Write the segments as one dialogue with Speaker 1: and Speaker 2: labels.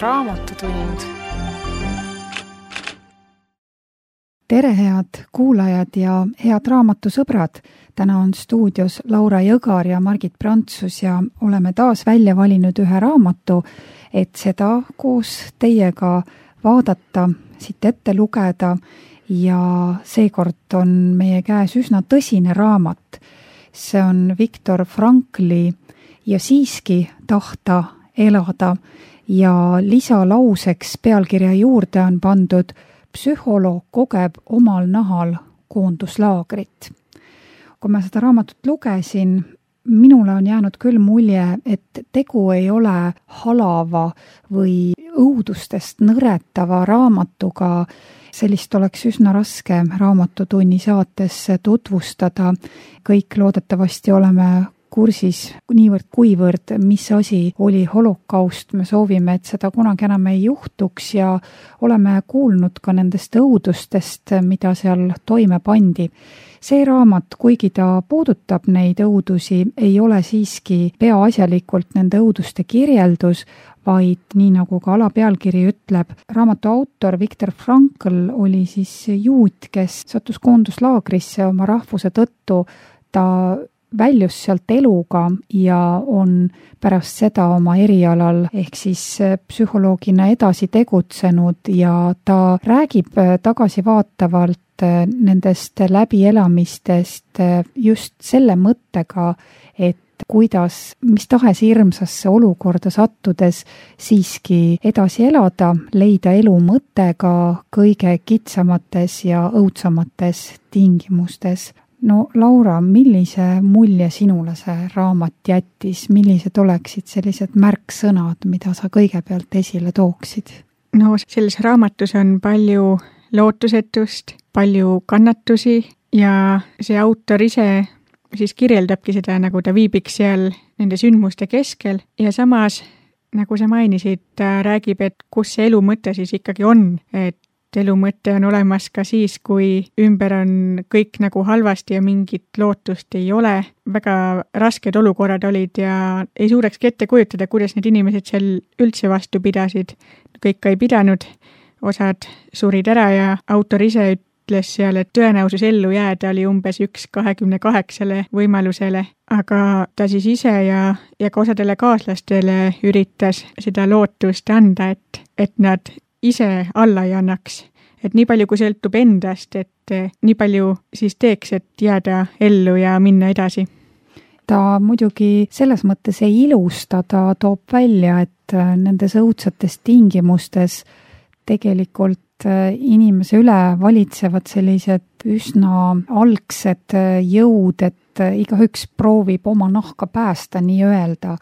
Speaker 1: Raamatutund.
Speaker 2: Tere, head kuulajad ja head raamatusõbrad! Täna on stuudios Laura Jõgar ja Margit Prantsus ja oleme taas välja valinud ühe raamatu, et seda koos teiega vaadata, siit ette lugeda ja seekord on meie käes üsna tõsine raamat. See on Viktor Frankli Ja siiski tahta elada ja lisalauseks pealkirja juurde on pandud Psühholoog kogeb omal nahal koonduslaagrit. Kui ma seda raamatut lugesin, minule on jäänud küll mulje, et tegu ei ole halava või õudustest nõretava raamatuga. Sellist oleks üsna raske raamatutunni saates tutvustada. Kõik loodetavasti oleme kursis niivõrd kuivõrd, mis asi oli holokaust. Me soovime, et seda kunagi enam ei juhtuks ja oleme kuulnud ka nendest õudustest, mida seal toime pandi. See raamat, kuigi ta puudutab neid õudusi, ei ole siiski peaasjalikult nende õuduste kirjeldus, vaid nii nagu ka alapealkiri ütleb, raamatu autor Viktor Frankl oli siis juut, kes sattus koonduslaagrisse oma rahvuse tõttu. Ta väljus sealt eluga ja on pärast seda oma erialal ehk siis psühholoogina edasi tegutsenud ja ta räägib tagasivaatavalt nendest läbielamistest just selle mõttega, et kuidas mis tahes hirmsasse olukorda sattudes siiski edasi elada, leida elu mõttega kõige kitsamates ja õudsamates tingimustes. No Laura, millise mulje sinule see raamat jättis? Millised oleksid sellised märksõnad, mida sa kõigepealt esile tooksid?
Speaker 3: No selles raamatus on palju lootusetust, palju kannatusi ja see autor ise siis kirjeldabki seda, nagu ta viibiks seal nende sündmuste keskel ja samas, nagu sa mainisid, ta räägib, et kus see elu mõte siis ikkagi on, et elu mõte on olemas ka siis, kui ümber on kõik nagu halvasti ja mingit lootust ei ole. Väga rasked olukorrad olid ja ei suudakski ette kujutada, kuidas need inimesed seal üldse vastu pidasid. Kõik ka ei pidanud, osad surid ära ja autor ise ütles seal, et tõenäosus ellu jääda oli umbes 1/28 võimalusele, aga ta siis ise ja ka osadele kaaslastele üritas seda lootust anda, et nad ise alla ei annaks, et nii palju kui sõltub endast, et nii palju siis teeks, et jääda ellu ja minna edasi.
Speaker 2: Ta muidugi selles mõttes ei ilusta, ta toob välja, et nendes õudsates tingimustes tegelikult inimese üle valitsevad sellised üsna algsed jõud, et igaüks proovib oma nahka päästa nii-öelda,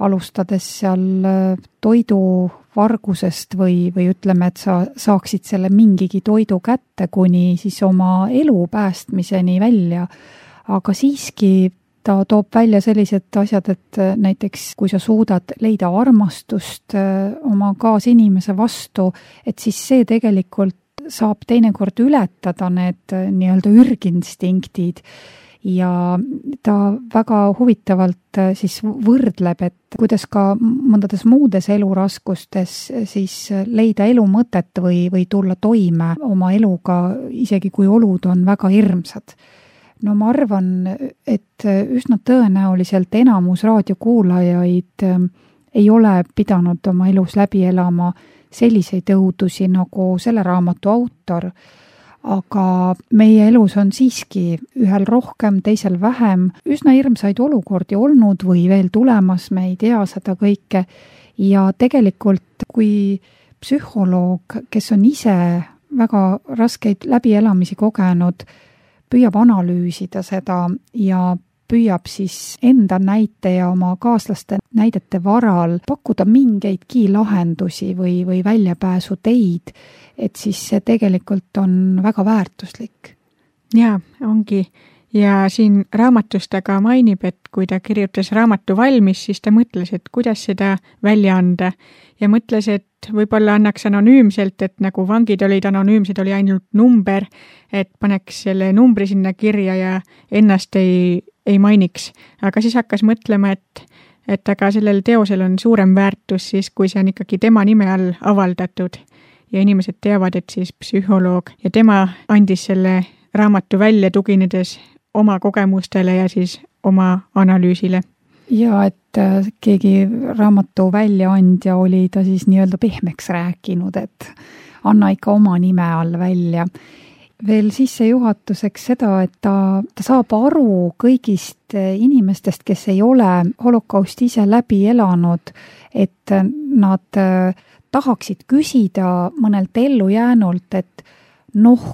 Speaker 2: alustades seal toiduvargusest või ütleme, et sa saaksid selle mingigi toidu kätte kuni siis oma elu päästmiseni välja. Aga siiski ta toob välja sellised asjad, et näiteks kui sa suudad leida armastust oma kaasinimese vastu, et siis see tegelikult saab teinekord ületada need nii-öelda ürginstinktiid. Ja ta väga huvitavalt siis võrdleb, et kuidas ka mõndades muudes eluraskustes siis leida elu mõtet või tulla toime oma eluga, isegi kui olud on väga hirmsad. No ma arvan, et üsna tõenäoliselt enamus raadiokuulajaid ei ole pidanud oma elus läbi elama selliseid õudusi nagu selle raamatu autor, aga meie elus on siiski ühel rohkem, teisel vähem üsna hirmsaid olukordi olnud või veel tulemas, me ei tea seda kõike. Ja tegelikult, kui psühholoog, kes on ise väga raskeid läbielamisi kogenud, püüab analüüsida seda ja püüab siis enda näite ja oma kaaslaste näidete varal pakkuda mingeidki lahendusi või väljapääsu teid, et siis see tegelikult on väga väärtuslik.
Speaker 3: Jaa, ongi. Ja siin raamatus ta ka mainib, et kui ta kirjutas raamatu valmis, siis ta mõtles, et kuidas seda välja anda. Ja mõtles, et võib-olla annaks anonüümselt, et nagu vangid olid anonüümsed, oli ainult number, et paneks selle numbri sinna kirja ja ennast ei mainiks. Aga siis hakkas mõtlema, et aga sellel teosel on suurem väärtus siis, kui see on ikkagi tema nime all avaldatud ja inimesed teavad, et siis psühholoog ja tema andis selle raamatu välja tuginedes oma kogemustele ja siis oma analüüsile.
Speaker 2: Ja et keegi raamatu väljaandja oli ta siis nii-öelda pehmeks rääkinud, et anna ikka oma nime all välja. Veel sissejuhatuseks seda, et ta saab aru kõigist inimestest, kes ei ole holokausti ise läbi elanud, et nad tahaksid küsida mõnelt ellujäänult, et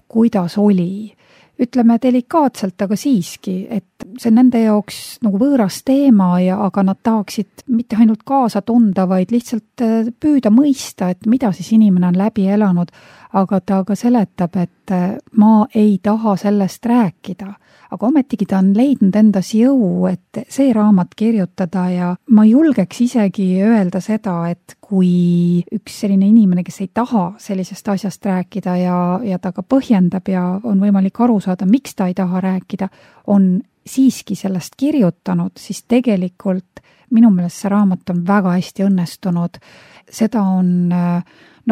Speaker 2: kuidas oli. Ütleme delikaatselt, aga siiski, et see nende jaoks nagu võõras teema, aga nad tahaksid mitte ainult kaasa tunda, vaid lihtsalt püüda mõista, et mida siis inimene on läbi elanud, aga ta ka seletab, et ma ei taha sellest rääkida. Aga ometigi ta on leidnud endas jõu, et see raamat kirjutada ja ma julgeks isegi öelda seda, et kui üks selline inimene, kes ei taha sellisest asjast rääkida ja ta ka põhjendab ja on võimalik aru saada, miks ta ei taha rääkida, on siiski sellest kirjutanud, siis tegelikult minu meelest see raamat on väga hästi õnnestunud. Seda on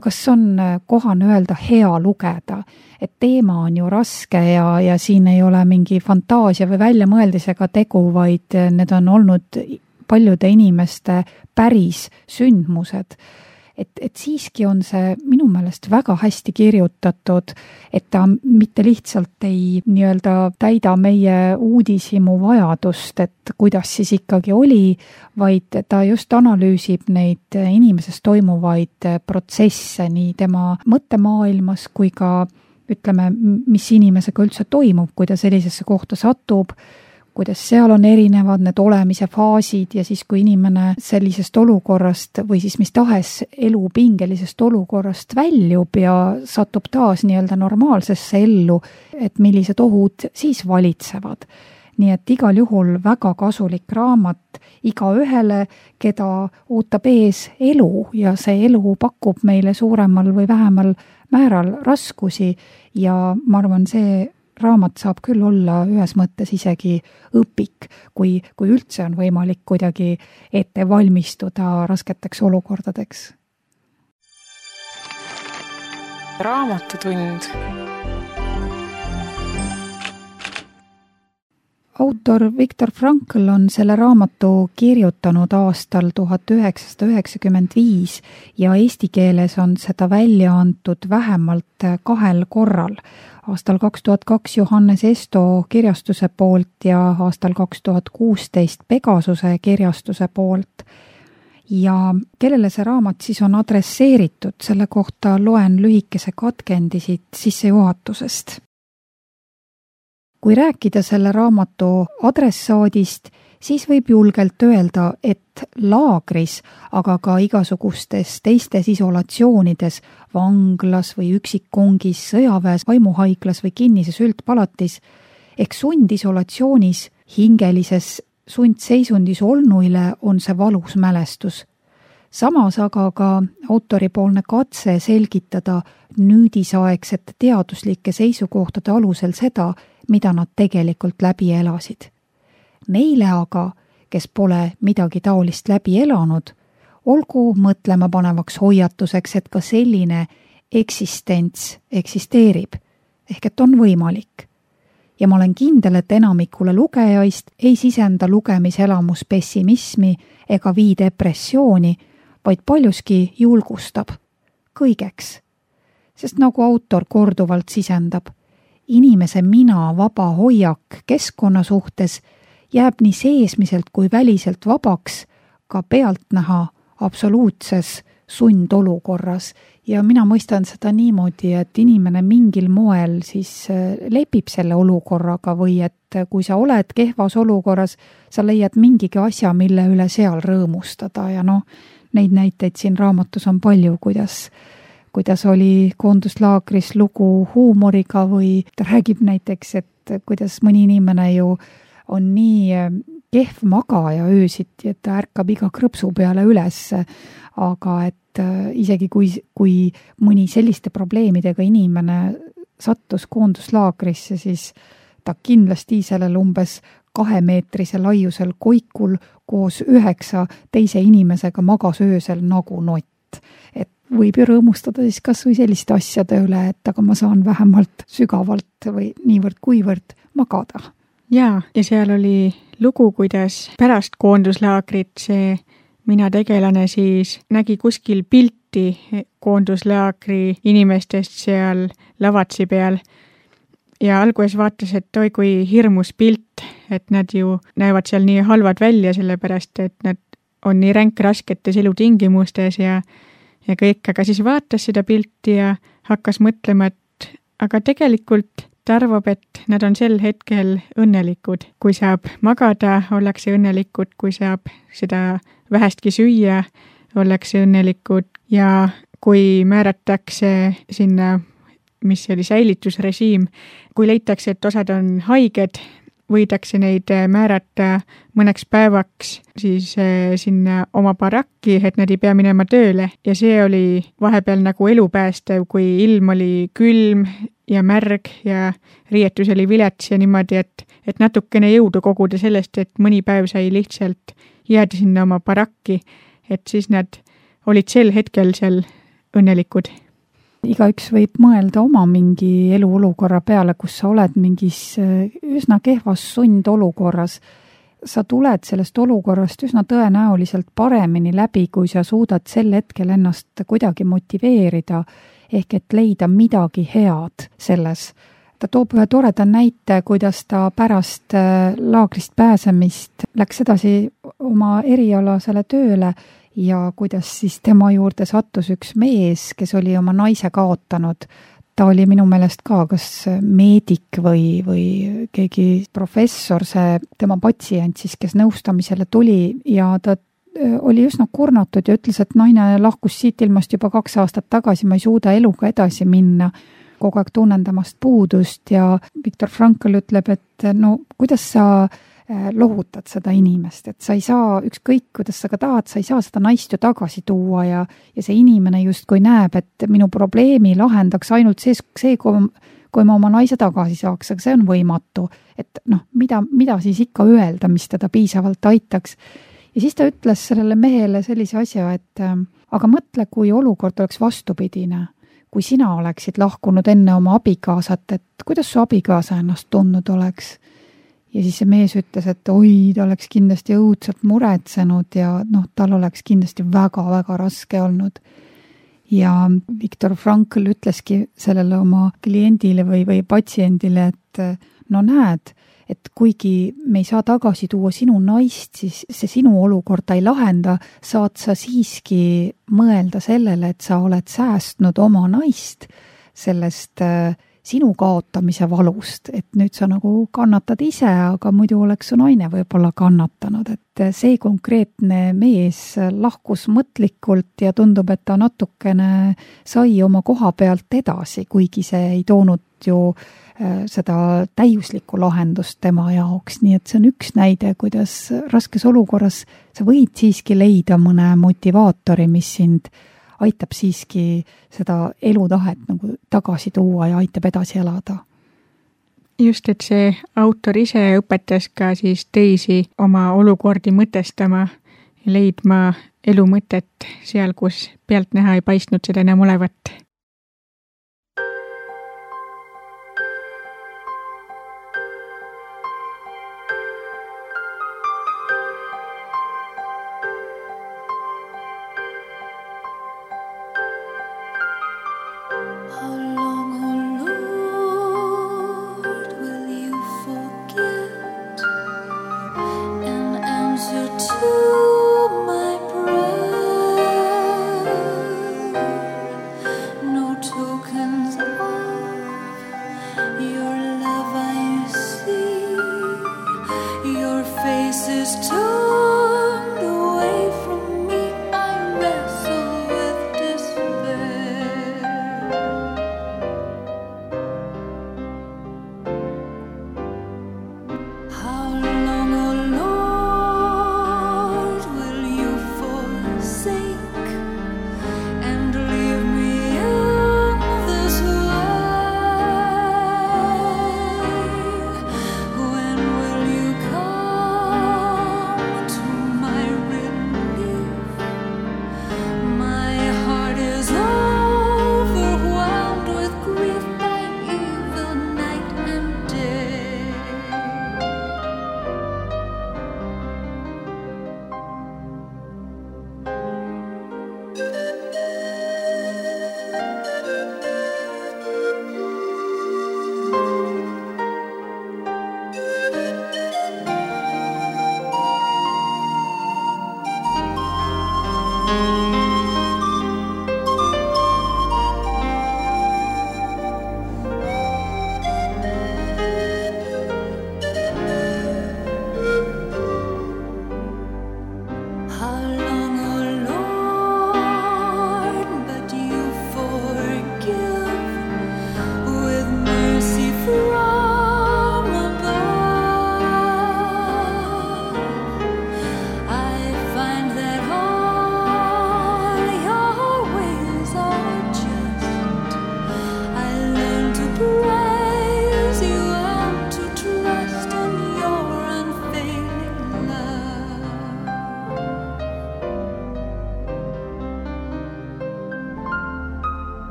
Speaker 2: kas on kohane öelda hea lugeda, et teema on ju raske ja siin ei ole mingi fantaasia või väljamõeldisega tegu, vaid need on olnud paljude inimeste päris sündmused. Et siiski on see minu meelest väga hästi kirjutatud, et ta mitte lihtsalt ei nii-öelda täida meie uudishimu vajadust, et kuidas siis ikkagi oli, vaid ta just analüüsib neid inimeses toimuvaid protsesse nii tema mõttemaailmas kui ka ütleme, mis inimesega üldse toimub, kui ta sellisesse kohta satub, kuidas seal on erinevad need olemise faasid ja siis, kui inimene sellisest olukorrast või siis mis tahes elu pingelisest olukorrast väljub ja satub taas nii-öelda normaalsesse ellu, et millised ohud siis valitsevad. Nii et igal juhul väga kasulik raamat igaühele, keda ootab ees elu ja see elu pakub meile suuremal või vähemal määral raskusi ja ma arvan, see raamat saab küll olla ühes mõttes isegi õpik, kui üldse on võimalik kuidagi ette valmistuda rasketeks olukordadeks.
Speaker 1: Raamatutund.
Speaker 2: Autor Viktor Frankl on selle raamatu kirjutanud aastal 1995 ja eesti keeles on seda välja antud vähemalt 2 korral. Aastal 2002 Johannes Esto kirjastuse poolt ja aastal 2016 Pegasuse kirjastuse poolt. Ja kellele see raamat siis on adresseeritud, selle kohta loen lühikese katkendi siit sissejuhatusest. Kui rääkida selle raamatu adressaadist, siis võib julgelt öelda, et laagris, aga ka igasugustes teistes isolatsioonides, vanglas või üksikkongis, sõjaväes, vaimuhaiglas või kinnises üldpalatis, ehk sundisolatsioonis, hingelises sundseisundis olnuile on see valus mälestus. Samas aga ka autoripoolne katse selgitada nüüdisaegsete teaduslike seisukohtade alusel seda, mida nad tegelikult läbi elasid. Neile aga, kes pole midagi taolist läbi elanud, olgu mõtlema panevaks hoiatuseks, et ka selline eksistents eksisteerib, ehk et on võimalik. Ja ma olen kindel, et enamikule lugejaist ei sisenda lugemiselamus pessimismi ega vii depressiooni, vaid paljuski julgustab kõigeks. Sest nagu autor korduvalt sisendab, inimese mina vaba hoiak keskkonna suhtes jääb nii seesmiselt kui väliselt vabaks ka pealtnäha absoluutses sundolukorras. Ja mina mõistan seda niimoodi, et inimene mingil moel siis lepib selle olukorraga või et kui sa oled kehvas olukorras, sa leiad mingigi asja, mille üle seal rõõmustada ja neid näiteid siin raamatus on palju, kuidas oli koonduslaagris lugu huumoriga või ta räägib näiteks, et kuidas mõni inimene ju on nii kehv magaja öösiti, et ta ärkab iga krõpsu peale üles, aga et isegi kui mõni selliste probleemidega inimene sattus koonduslaagrisse, siis ta kindlasti sellel umbes 2-meetrise laiusel koikul koos 9 teise inimesega magas öösel nagu nott. Et võib ju rõõmustada siis kas või selliste asjade üle, et aga ma saan vähemalt sügavalt või niivõrd-kuivõrd magada.
Speaker 3: Ja seal oli lugu, kuidas pärast koonduslaagrit see mina tegelane siis nägi kuskil pilti koonduslaagri inimestest seal lavatsi peal ja alguses vaatas, et oi kui hirmus pilt, et nad ju näevad seal nii halvad välja, sellepärast et nad on nii ränkrasketes elutingimustes ja kõik, aga siis vaatas seda pilti ja hakkas mõtlema, et aga tegelikult ta arvab, et nad on sel hetkel õnnelikud. Kui saab magada, ollakse õnnelikud, kui saab seda vähestki süüa, ollakse õnnelikud ja kui määratakse sinna, mis oli säilitusrežiim, kui leitakse, et osad on haiged, võidakse neid määrata mõneks päevaks siis sinna oma barakki, et nad ei pea minema tööle ja see oli vahepeal nagu elupäästev, kui ilm oli külm ja märg ja riietus oli vilets ja niimoodi, et natukene jõudu koguda sellest, et mõni päev sai lihtsalt jääda sinna oma barakki, et siis nad olid sel hetkel seal õnnelikud.
Speaker 2: Igaüks võib mõelda oma mingi eluolukorra peale, kus sa oled mingis üsna kehvas sundolukorras. Sa tuled sellest olukorrast üsna tõenäoliselt paremini läbi, kui sa suudad sel hetkel ennast kuidagi motiveerida, ehk et leida midagi head selles. Ta toob ühe toreda näite, kuidas ta pärast laagrist pääsemist läks edasi oma erialasele tööle ja kuidas siis tema juurde sattus üks mees, kes oli oma naise kaotanud. Ta oli minu meelest ka kas meedik või keegi professor, see tema patsient siis, kes nõustamisele tuli ja ta oli üsna kurnatud ja ütles, et naine lahkus siit ilmast juba 2 aastat tagasi, ma ei suuda eluga edasi minna, kogu aeg tunnen temast puudust ja Viktor Frankl ütleb, et no kuidas sa lohutad seda inimest, et sa ei saa, ükskõik kuidas sa ka tahad, sa ei saa seda naist ju tagasi tuua ja see inimene justkui näeb, et minu probleemi lahendaks ainult see, kui ma oma naise tagasi saaks, aga see on võimatu. Et noh, mida siis ikka öelda, mis teda piisavalt aitaks. Ja siis ta ütles sellele mehele sellise asja, et aga mõtle, kui olukord oleks vastupidine, kui sina oleksid lahkunud enne oma abikaasat, et kuidas su abikaasa ennast tundnud oleks. Ja siis see mees ütles, et oi, ta oleks kindlasti õudselt muretsenud ja tal oleks kindlasti väga-väga raske olnud. Ja Viktor Frankl ütleski sellele oma kliendile või patsiendile, et no näed, et kuigi me ei saa tagasi tuua sinu naist, siis see sinu olukorda ei lahenda, saad sa siiski mõelda sellele, et sa oled säästnud oma naist sellest sinu kaotamise valust, et nüüd sa nagu kannatad ise, aga muidu oleks su naine võib-olla kannatanud, et see konkreetne mees lahkus mõtlikult ja tundub, et ta natukene sai oma koha pealt edasi, kuigi see ei toonud ju seda täiuslikku lahendust tema jaoks, nii et see on üks näide, kuidas raskes olukorras sa võid siiski leida mõne motivaatori, mis sind aitab siiski seda elutahet nagu tagasi tuua ja aitab edasi elada.
Speaker 3: Just, et see autor ise õpetas ka siis teisi oma olukordi mõtestama ja leidma elu mõtet seal, kus pealtnäha ei paistnud seda enam olevat.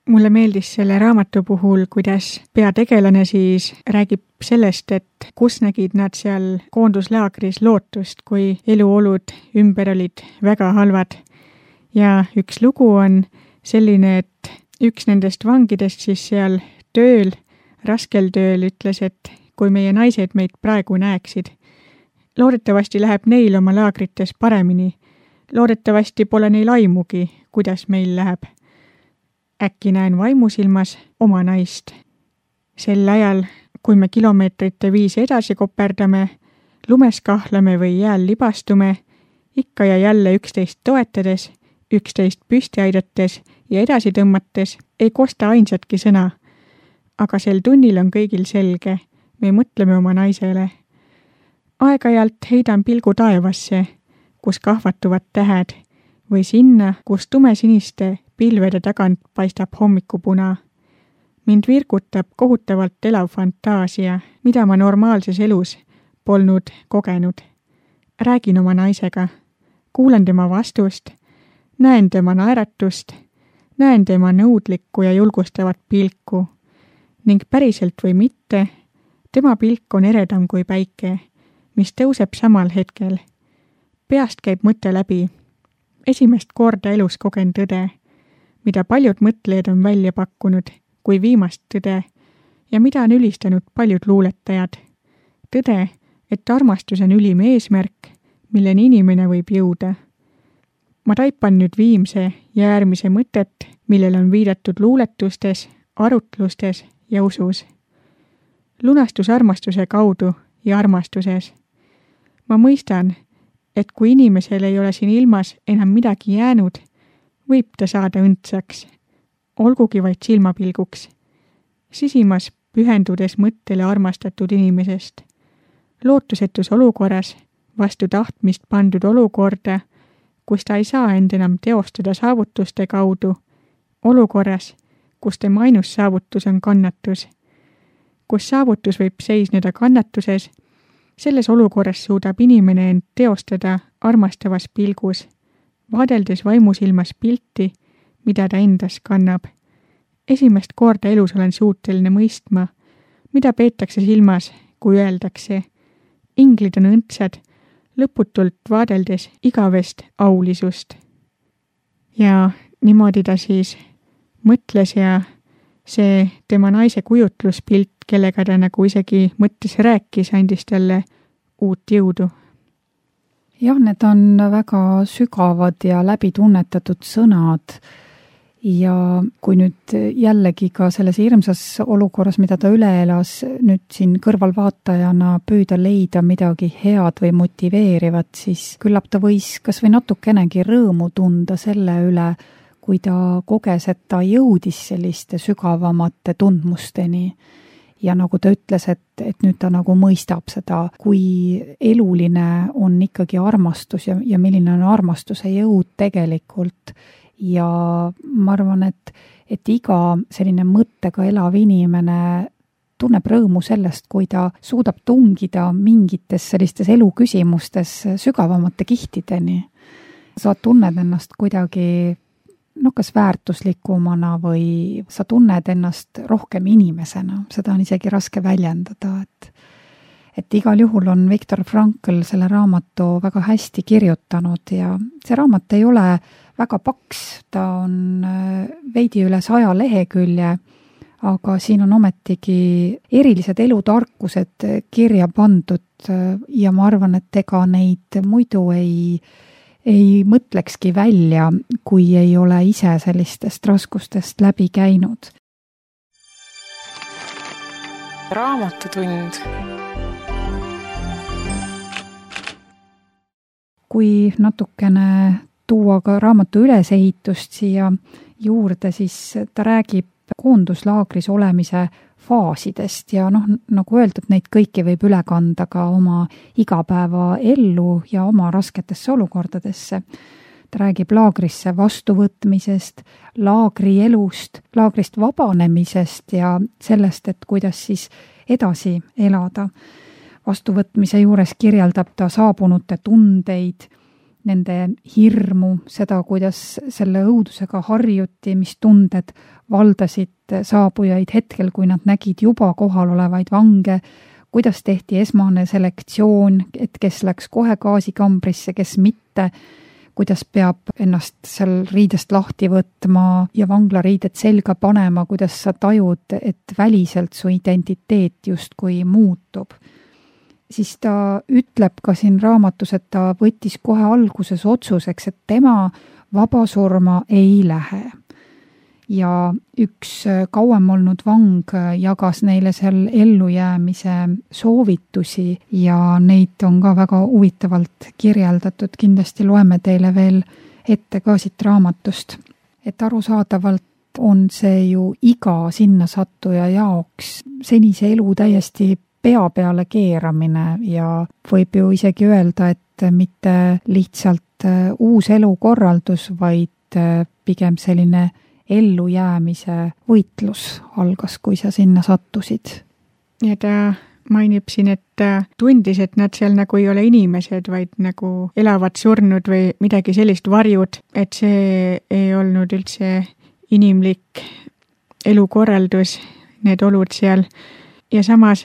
Speaker 3: mulle meeldis selle raamatu puhul, kuidas peategelane siis räägib sellest, et kus nägid nad seal koonduslaagris lootust, kui eluolud ümber olid väga halvad. Ja üks lugu on selline, et üks nendest vangidest siis seal tööl, raskel tööl ütles, et kui meie naised meid praegu näeksid, loodetavasti läheb neil oma laagrites paremini. Loodetavasti pole neil aimugi, kuidas meil läheb. Äkki näen vaimusilmas oma naist. Sel ajal, kui me kilomeetrite viisi edasi koperdame, lumes kahlame või jääl libastume, ikka ja jälle üksteist toetades, üksteist püsti aidates ja edasi tõmmates, ei kosta ainsatki sõna. Aga sel tunnil on kõigil selge, me mõtleme oma naisele. Aeg-ajalt heidan pilgu taevasse, kus kahvatuvad tähed, või sinna, kus tumesiniste pilvede tagant paistab hommikupuna. Mind virgutab kohutavalt elav fantaasia, mida ma normaalses elus polnud kogenud. Räägin oma naisega, kuulan tema vastust, näen tema naeratust, näen tema nõudlikku ja julgustavat pilku ning päriselt või mitte, tema pilk on eredam kui päike, mis tõuseb samal hetkel. Peast käib mõte läbi. Esimest korda elus kogen tõde, mida paljud mõtlejad on välja pakkunud kui viimast tõde ja mida on ülistanud paljud luuletajad. Tõde, et armastus on ülim eesmärk, milleni inimene võib jõuda. Ma taipan nüüd viimse ja äärmise mõtet, millele on viidatud luuletustes, arutlustes ja usus. Lunastus armastuse kaudu ja armastuses. Ma mõistan, et kui inimesel ei ole siin ilmas enam midagi jäänud, võib ta saada õndsaks, olgugi vaid silmapilguks, sisimas pühendudes mõttele armastatud inimesest. Lootusetus olukorras, vastu tahtmist pandud olukorda, kus ta ei saa end enam teostada saavutuste kaudu, olukorras, kus tema ainus saavutus on kannatus, kus saavutus võib seisneda kannatuses. Selles olukorras suudab inimene end teostada armastavas pilgus, vaadeldes vaimusilmas pilti, mida ta endas kannab. Esimest korda elus olen suuteline mõistma, mida peetakse silmas, kui öeldakse. Inglid on õndsad, lõputult vaadeldes igavest aulisust. Ja niimoodi ta siis mõtles ja see tema naise kujutluspilt, kellega ta nagu isegi mõttes rääkis, andis talle uut jõudu.
Speaker 2: Jah, need on väga sügavad ja läbitunnetatud sõnad ja kui nüüd jällegi ka selles hirmsas olukorras, mida ta üle elas, nüüd siin kõrvalvaatajana püüda leida midagi head või motiveerivat, siis küllap ta võis kas või natukenegi rõõmu tunda selle üle, kui ta koges, et ta jõudis selliste sügavamate tundmusteni. Ja nagu ta ütles, et nüüd ta nagu mõistab seda, kui eluline on ikkagi armastus ja milline on armastuse jõud tegelikult. Ja ma arvan, et iga selline mõttega elav inimene tunneb rõõmu sellest, kui ta suudab tungida mingites sellistes eluküsimustes sügavamate kihtideni. Sa tunned ennast kuidagi kas väärtuslikumana või sa tunned ennast rohkem inimesena, seda on isegi raske väljendada, et igal juhul on Viktor Frankl selle raamatu väga hästi kirjutanud ja see raamat ei ole väga paks, ta on veidi üle 100 lehekülje, aga siin on ometigi erilised elutarkused kirja pandud ja ma arvan, et ega neid muidu ei mõtlekski välja, kui ei ole ise sellistest raskustest läbi käinud.
Speaker 1: Raamatutund.
Speaker 2: Kui natukene tuua ka raamatu ülesehitust siia juurde, siis ta räägib koonduslaagris olemise faasidest ja nagu öeldud, neid kõiki võib üle kanda ka oma igapäevaellu ja oma rasketesse olukordadesse. Ta räägib laagrisse vastuvõtmisest, laagrielust, laagrist vabanemisest ja sellest, et kuidas siis edasi elada. Vastuvõtmise juures kirjeldab ta saabunute tundeid nende hirmu, seda, kuidas selle õudusega harjuti, mis tunded valdasid saabujaid hetkel, kui nad nägid juba kohal olevaid vange, kuidas tehti esmane selektsioon, et kes läks kohe gaasikambrisse, kes mitte, kuidas peab ennast seal riidest lahti võtma ja vanglariided selga panema, kuidas sa tajud, et väliselt su identiteet justkui muutub. Siis ta ütleb ka siin raamatus, et ta võttis kohe alguses otsuseks, et tema vabasurma ei lähe. Ja üks kauem olnud vang jagas neile seal ellujäämise soovitusi ja neid on ka väga huvitavalt kirjeldatud. Kindlasti loeme teile veel ette ka siit raamatust. Et arusaadavalt on see ju iga sinna sattuja jaoks senise elu täiesti pea peale keeramine ja võib ju isegi öelda, et mitte lihtsalt uus elukorraldus, vaid pigem selline ellujäämise võitlus algas, kui sa sinna sattusid.
Speaker 3: Ja ta mainib siin, et tundis, et nad seal nagu ei ole inimesed, vaid nagu elavad surnud või midagi sellist varjud, et see ei olnud üldse inimlik elukorraldus, need olud seal. Ja samas,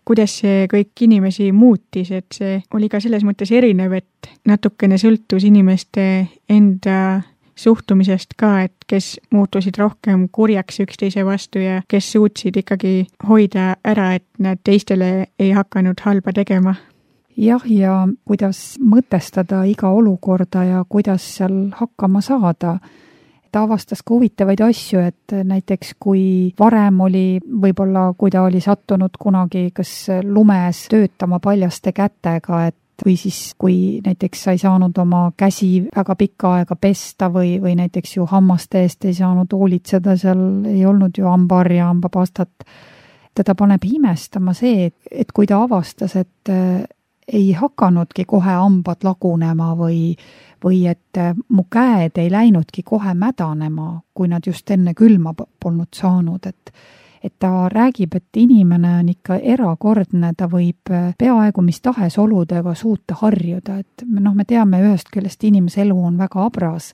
Speaker 3: kuidas see kõik inimesi muutis, et see oli ka selles mõttes erinev, et natukene sõltus inimeste enda suhtumisest ka, et kes muutusid rohkem kurjaks üksteise vastu ja kes suutsid ikkagi hoida ära, et nad teistele ei hakanud halba tegema.
Speaker 2: Jah, ja kuidas mõtestada iga olukorda ja kuidas seal hakkama saada. Ta avastas ka huvitavaid asju, et näiteks kui varem oli, võib-olla kui ta oli sattunud kunagi kas lumes töötama paljaste kätega, et või siis, kui näiteks sa ei saanud oma käsi väga pikka aega pesta või näiteks ju hammaste eest ei saanud hoolitseda, seal ei olnud ju hambaharja, hambapastat. Teda paneb imestama see, et kui ta avastas, et ei hakanudki kohe hambad lagunema või et mu käed ei läinudki kohe mädanema, kui nad just enne külma polnud saanud, et ta räägib, et inimene on ikka erakordne, ta võib peaaegu mis tahes oludega suuta harjuda, et me teame ühest küljest inimese elu on väga abras,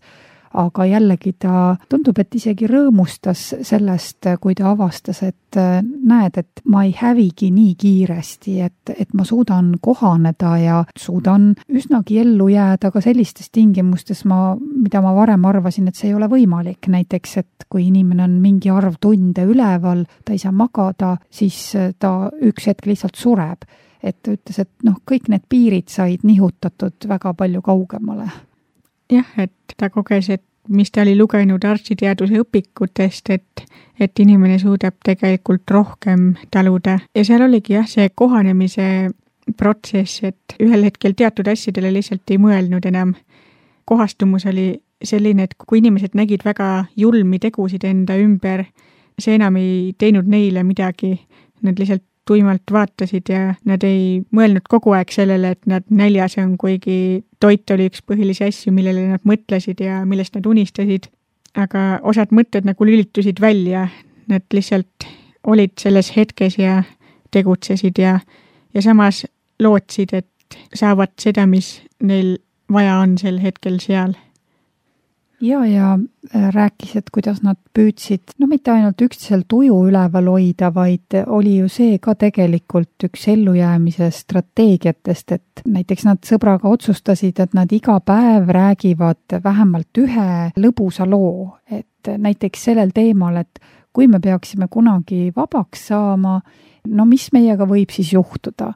Speaker 2: aga jällegi ta tundub, et isegi rõõmustas sellest, kui ta avastas, et näed, et ma ei hävigi nii kiiresti, et ma suudan kohaneda ja suudan üsnagi ellu jääda ka sellistes tingimustes, mida ma varem arvasin, et see ei ole võimalik. Näiteks, et kui inimene on mingi arv tunde üleval, ta ei saa magada, siis ta üks hetk lihtsalt sureb. Et ta ütles, et kõik need piirid said nihutatud väga palju kaugemale.
Speaker 3: Jah, et ta koges, et mis ta oli lugenud arstiteaduse õpikutest, et inimene suudab tegelikult rohkem taluda. Ja seal oligi see kohanemise protsess, et ühel hetkel teatud asjadele lihtsalt ei mõelnud enam. Kohastumus oli selline, et kui inimesed nägid väga julmi tegusid enda ümber, see enam ei teinud neile midagi, nad lihtsalt tuimalt vaatasid ja nad ei mõelnud kogu aeg sellele, et nad näljas on, kuigi toit oli üks põhilisi asju, millele nad mõtlesid ja millest nad unistasid. Aga osad mõtted nagu lülitusid välja, nad lihtsalt olid selles hetkes ja tegutsesid ja samas lootsid, et saavad seda, mis neil vaja on sel hetkel seal.
Speaker 2: Ja rääkis, et kuidas nad püüdsid, mitte ainult üksteisel tuju üleval hoida, vaid oli ju see ka tegelikult üks ellujäämise strateegiatest, et näiteks nad sõbraga otsustasid, et nad iga päev räägivad vähemalt ühe lõbusa loo, et näiteks sellel teemal, et kui me peaksime kunagi vabaks saama, mis meiega võib siis juhtuda.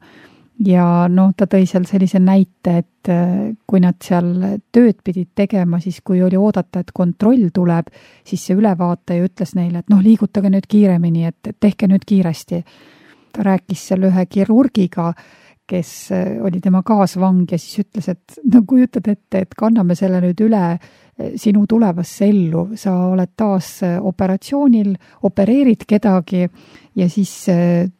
Speaker 2: Ja ta tõi seal sellise näite, et kui nad seal tööd pidid tegema, siis kui oli oodata, et kontroll tuleb, siis see ülevaataja ütles neile, et liigutage nüüd kiiremini, et tehke nüüd kiiresti. Ta rääkis seal ühe kirurgiga, kes oli tema kaasvang ja siis ütles, et kujutad ette, et kanname selle nüüd üle sinu tulevasse ellu, sa oled taas operatsioonil, opereerid kedagi ja siis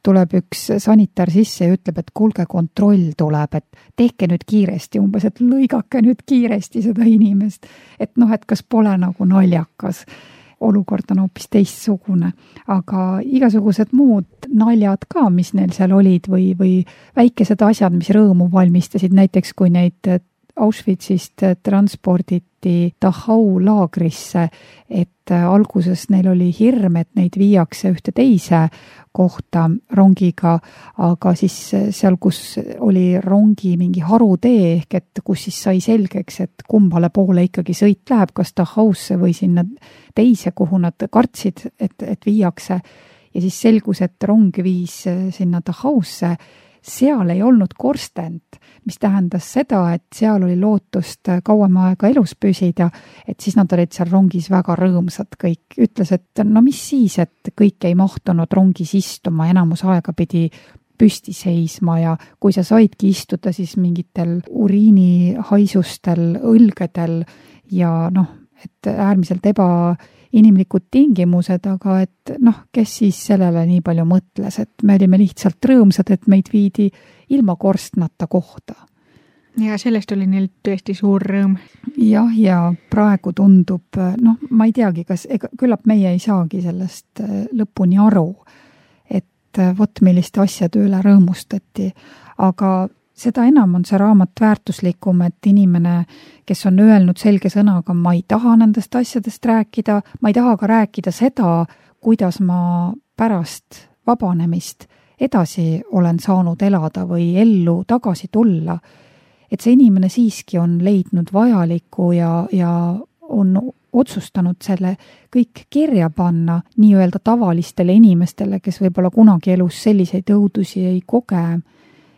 Speaker 2: tuleb üks sanitar sisse ja ütleb, et kuulge, kontroll tuleb, et tehke nüüd kiiresti, umbes, et lõigake nüüd kiiresti seda inimest, et kas pole nagu naljakas. Olukord on hoopis teistsugune, aga igasugused muud naljad ka, mis neil seal olid või väikesed asjad, mis rõõmu valmistasid, näiteks kui neid Auschwitzist transporditi Dachau laagrisse, et alguses neil oli hirm, et neid viiakse ühte teise kohta rongiga, aga siis seal, kus oli rongi mingi harutee, ehk et kus siis sai selgeks, et kumbale poole ikkagi sõit läheb, kas Dachausse või sinna teise, kuhu nad kartsid, et viiakse. Ja siis selgus, et rong viis sinna Dachausse, seal ei olnud korstent, mis tähendas seda, et seal oli lootust kauem aega elus püsida, et siis nad olid seal rongis väga rõõmsad kõik. Ütles, et no mis siis, et kõik ei mahtunud rongis istuma, enamus aega pidi püsti seisma ja kui sa saidki istuda, siis mingitel uriinihaisustel, õlgedel ja et äärmiselt ebainimlikud tingimused, aga et kes siis sellele nii palju mõtles, et me olime lihtsalt rõõmsad, et meid viidi ilma korstnata kohta.
Speaker 3: Ja sellest oli neil tõesti suur rõõm.
Speaker 2: Jah, ja praegu tundub, ma ei teagi, küllap meie ei saagi sellest lõpuni aru, et vot milliste asjade üle rõõmustati, aga seda enam on see raamat väärtuslikum, et inimene, kes on öelnud selge sõnaga, ma ei taha nendest asjadest rääkida, ma ei taha ka rääkida seda, kuidas ma pärast vabanemist edasi olen saanud elada või ellu tagasi tulla. Et see inimene siiski on leidnud vajaliku ja on otsustanud selle kõik kirja panna nii-öelda tavalistele inimestele, kes võib-olla kunagi elus selliseid õudusi ei koge.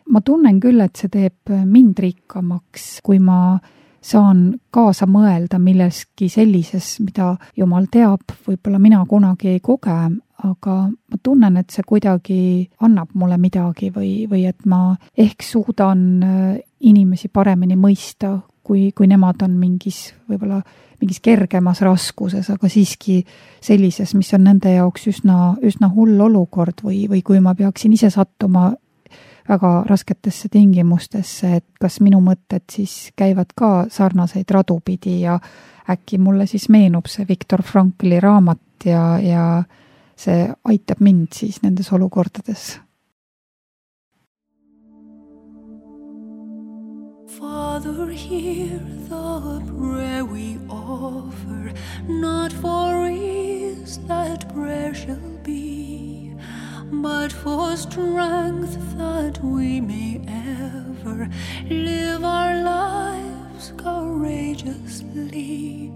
Speaker 2: Ma tunnen küll, et see teeb mind rikkamaks, kui ma saan kaasa mõelda milleski sellises, mida Jumal teab, võib-olla mina kunagi ei koge, aga ma tunnen, et see kuidagi annab mulle midagi või et ma ehk suudan inimesi paremini mõista, kui nemad on mingis kergemas raskuses, aga siiski sellises, mis on nende jaoks üsna hull olukord või kui ma peaksin ise sattuma väga rasketesse tingimustesse, et kas minu mõtted siis käivad ka sarnaseid radu pidi ja äkki mulle siis meenub see Viktor Frankli raamat ja see aitab mind siis nendes olukordades.
Speaker 1: Father, hear the prayer we offer, not for ease that prayer shall be, but for strength that we may ever live our lives courageously,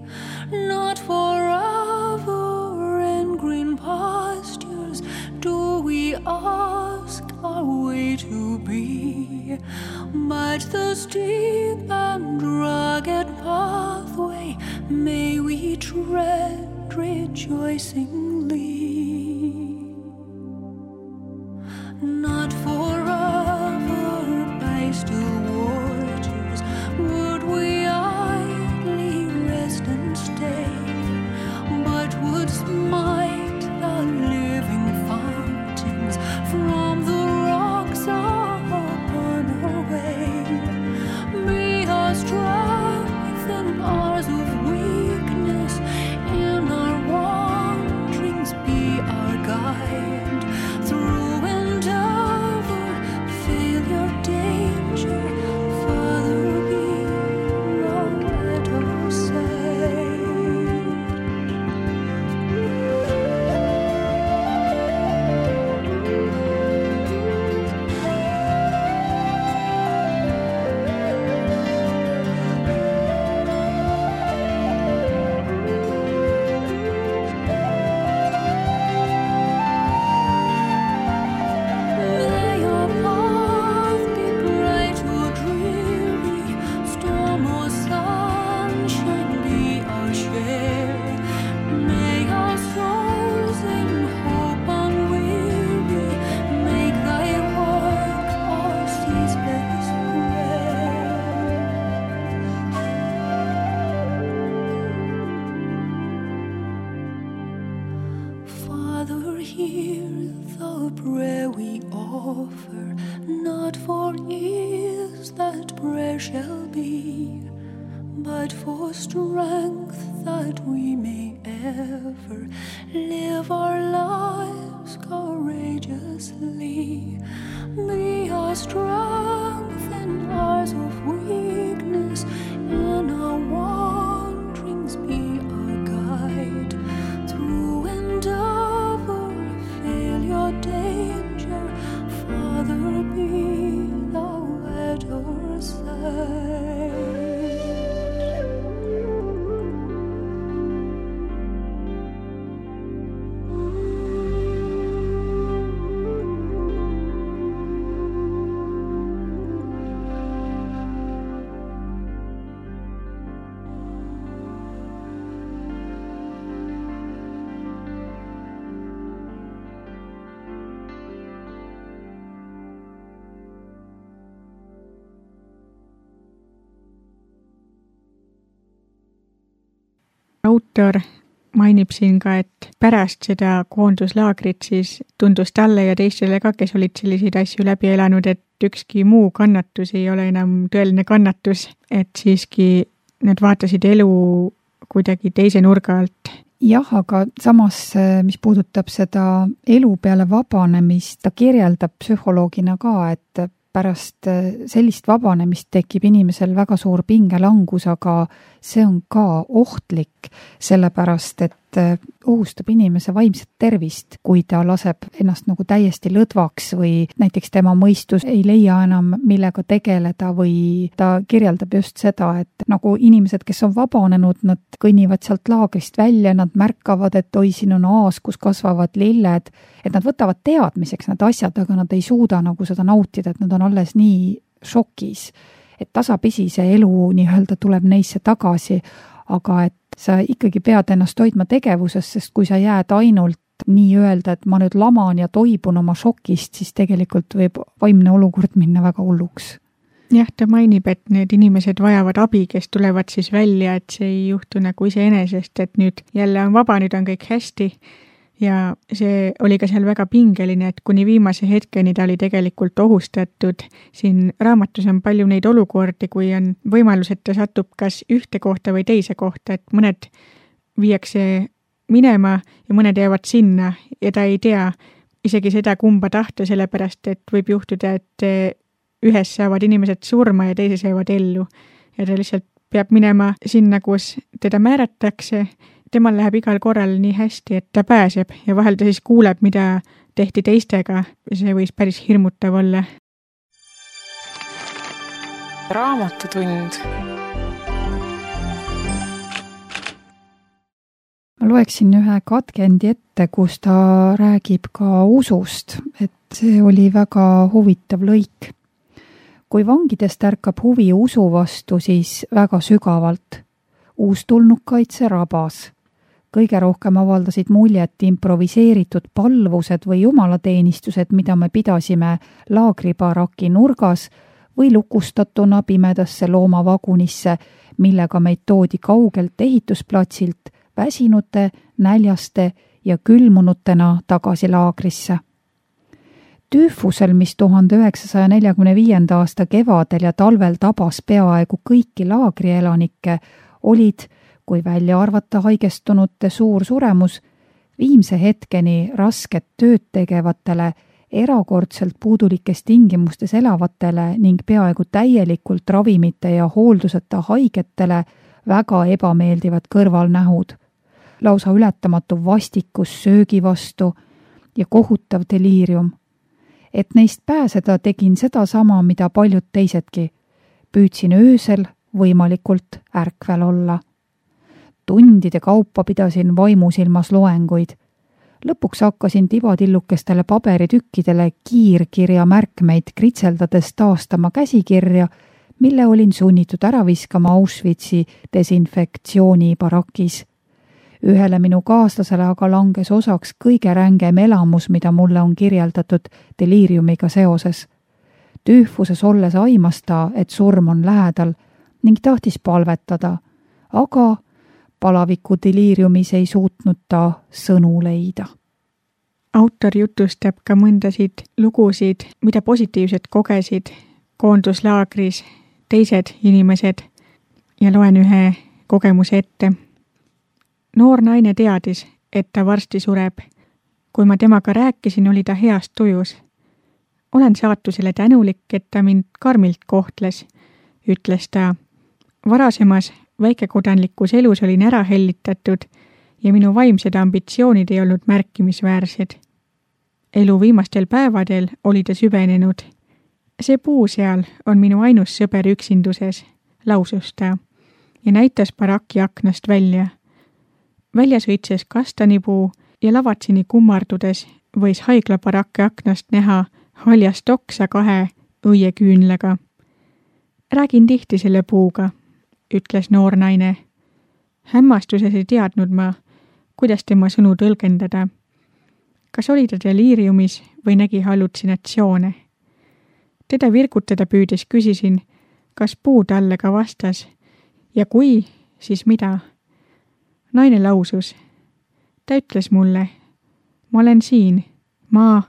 Speaker 1: not forever in green pastures do we ask our way to be, but the steep and rugged pathway may we tread rejoicingly. Not forever by still waters would we idly rest and stay, but would smite the living fountains from the rocks upon our way. Be our strength and ours of weakness, in our wanderings be our guide, through live our lives courageously. Be our strength and ours of weakness,
Speaker 3: autor mainib siin ka, et pärast seda koonduslaagrit siis tundus talle ja teistele ka, kes olid selliseid asju läbi elanud, et ükski muu kannatus ei ole enam tõeline kannatus, et siiski nad vaatasid elu kuidagi teise nurga alt.
Speaker 2: Jah, aga samas, mis puudutab seda elu peale vabanemist, ta kirjeldab psühholoogina ka, et pärast sellist vabanemist tekib inimesel väga suur pingelangus, aga see on ka ohtlik, sellepärast et ohustab inimese vaimset tervist, kui ta laseb ennast nagu täiesti lõdvaks või näiteks tema mõistus ei leia enam millega tegeleda või ta kirjeldab just seda, et nagu inimesed, kes on vabanenud, nad kõnnivad sealt laagrist välja, nad märkavad, et oi, siin on aas, kus kasvavad lilled, et nad võtavad teadmiseks need asjad, aga nad ei suuda nagu seda nautida, et nad on alles nii šokis, et tasapisi see elu nii-öelda tuleb neisse tagasi, aga et sa ikkagi pead ennast hoidma tegevuses, sest kui sa jääd ainult nii-öelda, et ma nüüd laman ja toibun oma šokist, siis tegelikult võib vaimne olukord minna väga hulluks.
Speaker 3: Jah, ta mainib, et need inimesed vajavad abi, kes tulevad siis välja, et see ei juhtu nagu iseenesest, et nüüd jälle on vaba, nüüd on kõik hästi. Ja see oli ka seal väga pingeline, et kuni viimase hetkeni ta oli tegelikult ohustatud. Siin raamatus on palju neid olukordi, kui on võimalus, et ta satub kas ühte kohta või teise kohta, et mõned viiakse minema ja mõned jäävad sinna ja ta ei tea isegi seda, kumba tahta, sellepärast et võib juhtuda, et ühes saavad inimesed surma ja teises jäävad ellu. Ja ta lihtsalt peab minema sinna, kus teda määratakse. Temal läheb igal korral nii hästi, et ta pääseb ja vahel ta siis kuuleb, mida tehti teistega. See võis päris hirmutav olla.
Speaker 4: Raamatutund.
Speaker 2: Ma loeksin ühe katkendi ette, kus ta räägib ka usust, et see oli väga huvitav lõik. Kui vangidest ärkab huvi usu vastu, siis väga sügavalt. Uustulnukaid see rabas. Kõige rohkem avaldasid muljet improviseeritud palvused või jumalateenistused, mida me pidasime laagribaraki nurgas või lukustatuna pimedasse loomavagunisse, millega meid toodi kaugelt ehitusplatsilt väsinute, näljaste ja külmunutena tagasi laagrisse. Tüüfusel, mis 1945. aasta kevadel ja talvel tabas peaaegu kõiki laagrielanikke, olid, kui välja arvata haigestunute suur suremus, viimse hetkeni rasket tööd tegevatele, erakordselt puudulikes tingimustes elavatele ning peaaegu täielikult ravimite ja hoolduseta haigetele väga ebameeldivad kõrvalnähud. Lausa ületamatu vastikus söögi vastu ja kohutav deliirium. Et neist pääseda tegin seda sama, mida paljud teisedki. Püüdsin öösel võimalikult ärkvel olla. Tundide kaupa pidasin vaimusilmas loenguid. Lõpuks hakkasin tibadillukestele paberitükkidele kiirkirja märkmeid kritseldades taastama käsikirja, mille olin sunnitud ära viskama Auschwitzi desinfektsioonibarakis. Ühele minu kaaslasele aga langes osaks kõige rängem elamus, mida mulle on kirjeldatud deliiriumiga seoses. Tüüfuses olles aimas ta, et surm on lähedal ning tahtis palvetada, aga palaviku deliiriumis ei suutnud ta sõnu leida.
Speaker 3: Autor jutustab ka mõndasid lugusid, mida positiivselt kogesid koonduslaagris teised inimesed ja loen ühe kogemuse ette. Noor naine teadis, et ta varsti sureb. Kui ma temaga rääkisin, oli ta heast tujus. Olen saatusele tänulik, et ta mind karmilt kohtles, ütles ta. Varasemas väikekodanlikus elus olin ära hellitatud ja minu vaimsed ambitsioonid ei olnud märkimisväärsed. Elu viimastel päevadel oli ta süvenenud. See puu seal on minu ainus sõber üksinduses, lausus ta ja näitas baraki aknast välja. Väljas õitses kastanipuu ja lavatsini kummardudes võis haiglabaraki aknast näha haljast oksa 2 õieküünlaga. Räägin tihti selle puuga, ütles noor naine. Hämmastuses ei teadnud ma, kuidas tema sõnu tõlgendada. Kas oli ta deliiriumis või nägi hallutsinatsioone? Teda virgutada püüdes küsisin, kas puu talle ka vastas ja kui, siis mida? naine lausus. Ta ütles mulle, ma olen siin, ma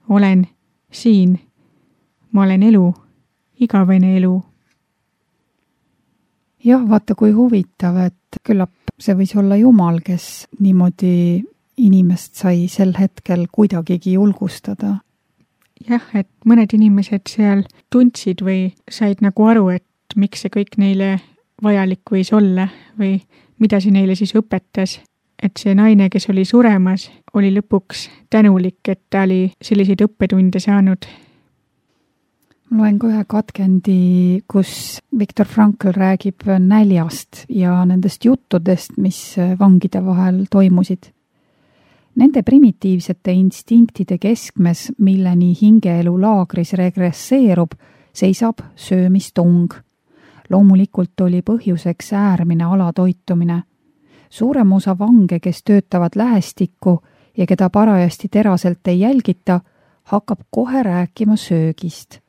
Speaker 3: olen siin, ma olen elu, igavene elu.
Speaker 2: Jah, vaata kui huvitav, et küllap see võis olla Jumal, kes niimoodi inimest sai sel hetkel kuidagigi julgustada.
Speaker 3: Jah, et mõned inimesed seal tundsid või said nagu aru, et miks see kõik neile vajalik võis olla või mida see neile siis õpetas. Et see naine, kes oli suremas, oli lõpuks tänulik, et ta oli selliseid õppetunde saanud.
Speaker 2: Ma loen ka ühe katkendi, kus Viktor Frankl räägib näljast ja nendest juttudest, mis vangide vahel toimusid. Nende primitiivsete instinktide keskmes, milleni hingeelu laagris regresseerub, seisab söömistung. Loomulikult oli põhjuseks äärmine alatoitumine. Suurem osa vange, kes töötavad lähestikku ja keda parajasti teraselt ei jälgita, hakkab kohe rääkima söögist.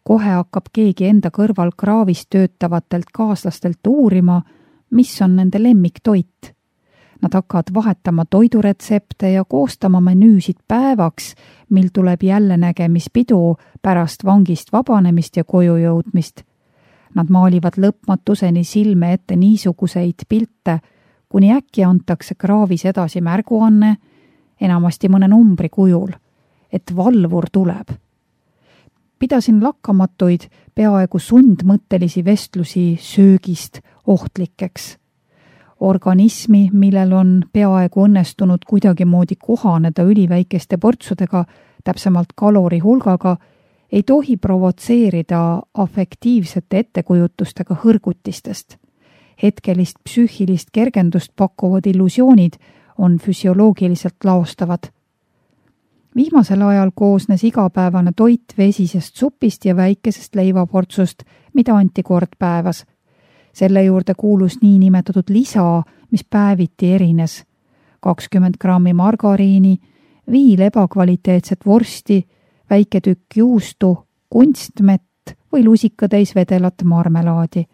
Speaker 2: Kohe hakkab keegi enda kõrval kraavis töötavatelt kaaslastelt uurima, mis on nende lemmiktoit. Nad hakkavad vahetama toiduretsepte ja koostama menüüsid päevaks, mil tuleb jälle nägemispidu pärast vangist vabanemist ja koju jõudmist. Nad maalivad lõpmatuseni silme ette niisuguseid pilte, kuni äkki antakse kraavis edasi märguanne, enamasti mõne numbri kujul, et valvur tuleb. Pidasin lakkamatuid, peaaegu sundmõttelisi vestlusi söögist ohtlikeks. Organismi, millel on peaaegu õnnestunud kuidagimoodi kohaneda üliväikeste portsudega, täpsemalt kalori hulgaga, ei tohi provotseerida afektiivsete ettekujutustega hõrgutistest. Hetkelist psüühilist kergendust pakkuvad illusioonid on füsioloogiliselt laostavad. Viimasel ajal koosnes igapäevane toit vesisest supist ja väikesest leivaportsust, mida anti kord päevas. Selle juurde kuulus niinimetatud lisa, mis päeviti erines. 20 grammi margariini, 5 ebakvaliteetset vorsti, väike tükk juustu, kunstmett või lusikatäis vedelat marmelaadi.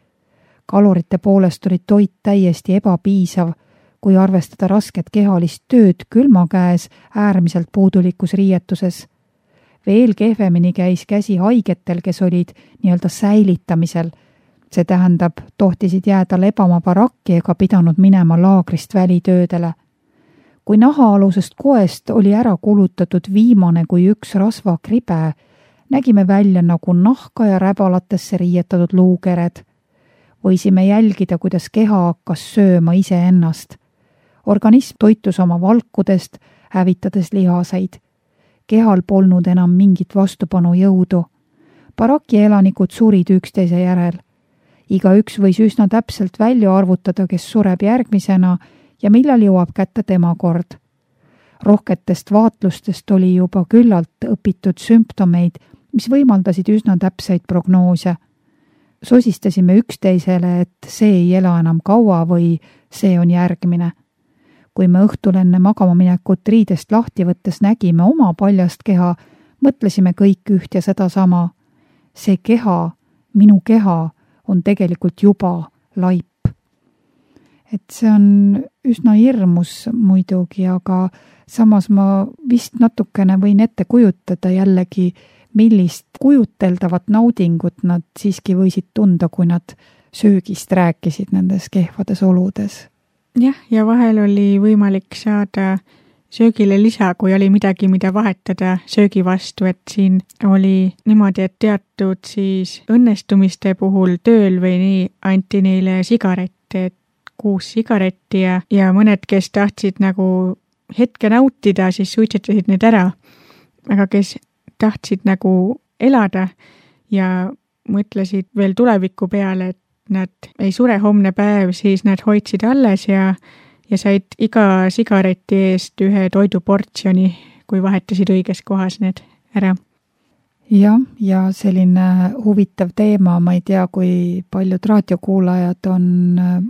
Speaker 2: Kalorite poolest oli toit täiesti ebapiisav, kui arvestada rasket kehalist tööd külma käes äärmiselt puudulikus riietuses. Veel kehvemini käis käsi haigetel, kes olid nii-öelda säilitamisel. See tähendab, tohtisid jääda lebama barakki ega pidanud minema laagrist välitöödele. Kui nahaalusest koest oli ära kulutatud viimane kui üks rasvakribe, nägime välja nagu nahka ja räbalatesse riietatud luukered. Võisime jälgida, kuidas keha hakkas sööma iseennast. Organism toitus oma valkudest, hävitades lihaseid. Kehal polnud enam mingit vastupanu jõudu. Baraki elanikud surid üksteise järel. Igaüks võis üsna täpselt välja arvutada, kes sureb järgmisena ja millal jõuab kätte tema kord. Rohketest vaatlustest oli juba küllalt õpitud sümptomeid, mis võimaldasid üsna täpseid prognoose. Sosistasime üksteisele, et see ei ela enam kaua või see on järgmine. Kui me õhtul enne magama minekut riidest lahti võttes nägime oma paljast keha, mõtlesime kõik üht ja sedasama. See keha, minu keha, on tegelikult juba laip. Et see on üsna hirmus muidugi, aga samas ma vist natukene võin ette kujutada jällegi, millist kujuteldavat naudingut nad siiski võisid tunda, kui nad söögist rääkisid nendes kehvades oludes.
Speaker 3: Jah, ja vahel oli võimalik saada söögile lisa, kui oli midagi, mida vahetada söögi vastu, et siin oli niimoodi, et teatud siis õnnestumiste puhul tööl või nii anti neile sigarette, et 6 sigaretti ja mõned, kes tahtsid nagu hetke nautida, siis suitsetasid need ära. Aga kes tahtsid nagu elada ja mõtlesid veel tuleviku peale, et nad ei sure homne päev, siis nad hoidsid alles ja said iga sigareti eest ühe toiduportsjoni, kui vahetasid õiges kohas need ära.
Speaker 2: Jah, ja selline huvitav teema, ma ei tea, kui paljud raadiokuulajad on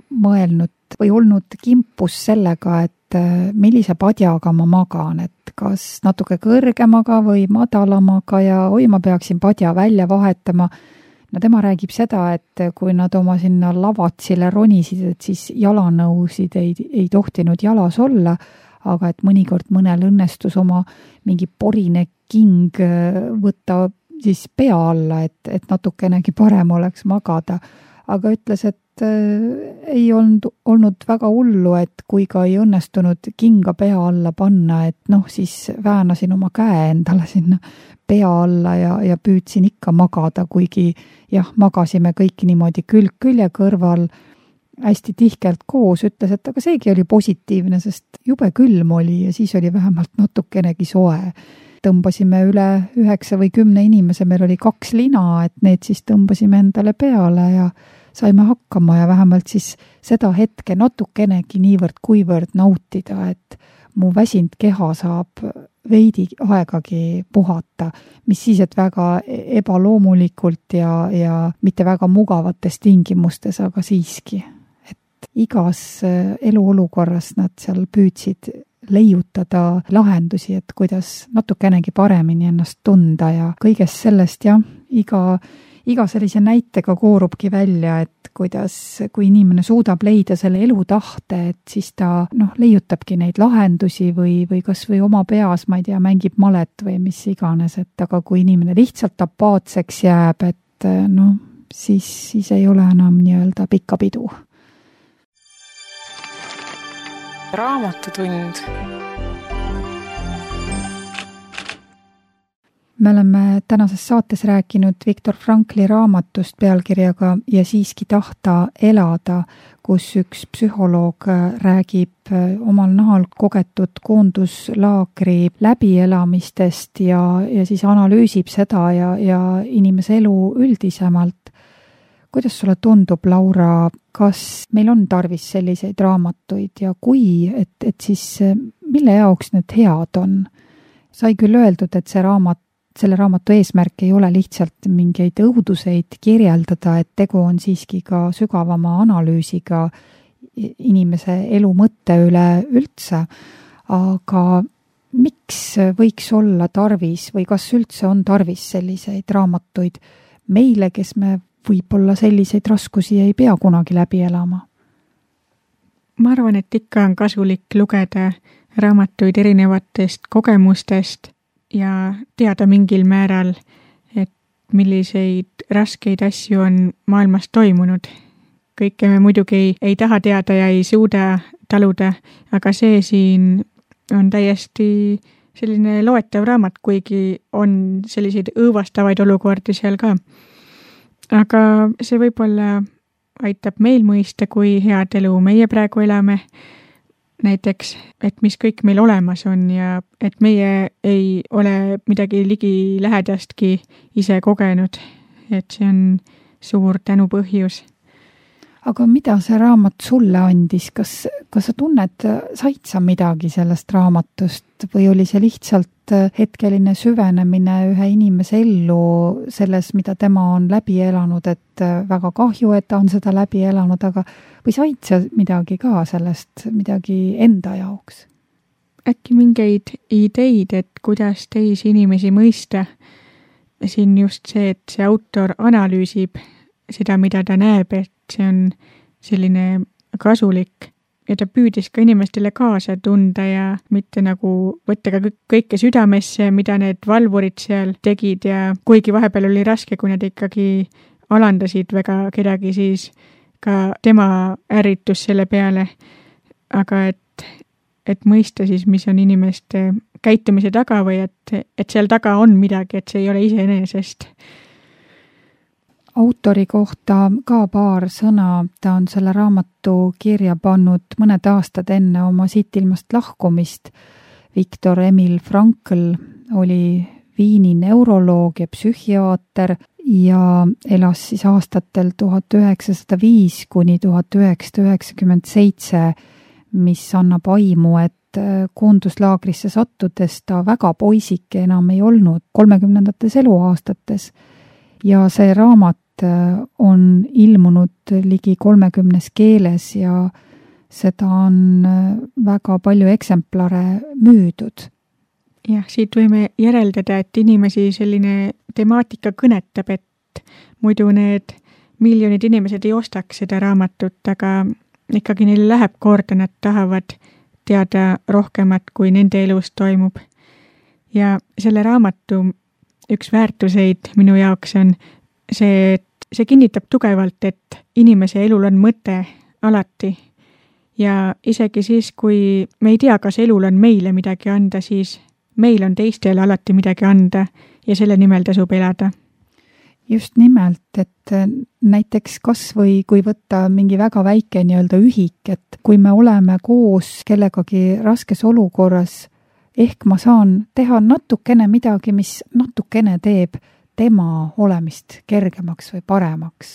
Speaker 2: mõelnud või olnud kimpus sellega, et millise padjaga ma magan, et kas natuke kõrgemaga või madalamaga ja oi, ma peaksin padja välja vahetama. no tema räägib seda, et kui nad oma sinna lavatsile ronisid, et siis jalanõusid ei tohtinud jalas olla, aga et mõnikord mõnel õnnestus oma mingi porine king võtta siis pea alla, et natukenegi parem oleks magada. Aga ütles, et ei olnud väga hullu, et kui ka ei õnnestunud kinga pea alla panna, et siis väänasin oma käe endale sinna pea alla ja püüdsin ikka magada, kuigi magasime kõik niimoodi külg külje kõrval hästi tihkelt koos, ütles, et aga seegi oli positiivne, sest jube külm oli ja siis oli vähemalt natukenegi soe. Tõmbasime üle 9 või 10 inimese, meil oli 2 lina, et need siis tõmbasime endale peale ja saime hakkama ja vähemalt siis seda hetke natukenegi niivõrd-kuivõrd nautida, et mu väsinud keha saab veidi aegagi puhata, mis siis, et väga ebaloomulikult ja mitte väga mugavates tingimustes, aga siiski. Et igas eluolukorras nad seal püüdsid leiutada lahendusi, et kuidas natukenegi paremini ennast tunda ja kõigest sellest iga sellise näitega koorubki välja, et kui inimene suudab leida selle elutahte, et siis ta leiutabki neid lahendusi või kas või oma peas, ma ei tea, mängib malet või mis iganes, et aga kui inimene lihtsalt apaatseks jääb, et siis ei ole enam nii-öelda pikka pidu.
Speaker 4: Raamatutund.
Speaker 2: Me oleme tänases saates rääkinud Viktor Frankli raamatust pealkirjaga Ja siiski tahta elada, kus üks psühholoog räägib omal nahal kogetud koonduslaagri läbielamistest ja siis analüüsib seda ja inimese elu üldisemalt. Kuidas sulle tundub, Laura, kas meil on tarvis selliseid raamatuid ja kui, et siis mille jaoks need head on? Sai küll öeldud, et selle raamatu eesmärk ei ole lihtsalt mingeid õuduseid kirjeldada, et tegu on siiski ka sügavama analüüsiga inimese elu mõtte üle üldse, aga miks võiks olla tarvis või kas üldse on tarvis selliseid raamatuid meile, kes me võib-olla selliseid raskusi ei pea kunagi läbi elama?
Speaker 3: Ma arvan, et ikka on kasulik lugeda raamatuid erinevatest kogemustest ja teada mingil määral, et milliseid raskeid asju on maailmas toimunud. Kõike me muidugi ei taha teada ja ei suuda taluda, aga see siin on täiesti selline loetav raamat, kuigi on selliseid õõvastavaid olukordi seal ka. Aga see võib-olla aitab meil mõista, kui head elu meie praegu elame. Näiteks, et mis kõik meil olemas on ja et meie ei ole midagi ligi lähedastki ise kogenud. Et see on suur tänupõhjus.
Speaker 2: Aga mida see raamat sulle andis? Kas sa tunned, said sa midagi sellest raamatust või oli see lihtsalt hetkeline süvenemine ühe inimese ellu selles, mida tema on läbi elanud, et väga kahju, et ta on seda läbi elanud, aga või said sa midagi ka sellest, midagi enda jaoks?
Speaker 3: Äkki mingeid ideid, et kuidas teisi inimesi mõista. Siin just see, et see autor analüüsib seda, mida ta näeb, et see on selline kasulik ja ta püüdis ka inimestele kaasa tunda ja mitte nagu võtta ka kõike südamesse, mida need valvurid seal tegid ja kuigi vahepeal oli raske, kui nad ikkagi alandasid väga kedagi, siis ka tema ärritus selle peale. Aga et mõista siis, mis on inimeste käitumise taga või et seal taga on midagi, et see ei ole iseenesest.
Speaker 2: Autori kohta ka paar sõna, ta on selle raamatu kirja pannud mõned aastad enne oma siit ilmast lahkumist. Viktor Emil Frankl oli Viini neuroloog ja psühhiaater ja elas siis aastatel 1905 kuni 1997, mis annab aimu, et koonduslaagrisse sattudes ta väga poisike enam ei olnud 30. eluaastates. Ja see raamat on ilmunud ligi 30 keeles ja seda on väga palju eksemplare müüdud.
Speaker 3: Jah, siit võime järeldada, et inimesi selline temaatika kõnetab, et muidu need miljonid inimesed ei ostaks seda raamatut, aga ikkagi neile läheb korda, nad tahavad teada rohkemat, kui nende elus toimub. Ja selle raamatu üks väärtuseid minu jaoks on see, et see kinnitab tugevalt, et inimese elul on mõte alati. Ja isegi siis, kui me ei tea, kas elul on meile midagi anda, siis meil on teistele alati midagi anda ja selle nimel tasub elada.
Speaker 2: Just nimelt, et näiteks kas või kui võtta mingi väga väike nii-öelda ühik, et kui me oleme koos kellegagi raskes olukorras, ehk ma saan teha natukene midagi, mis natukene teeb tema olemist kergemaks või paremaks.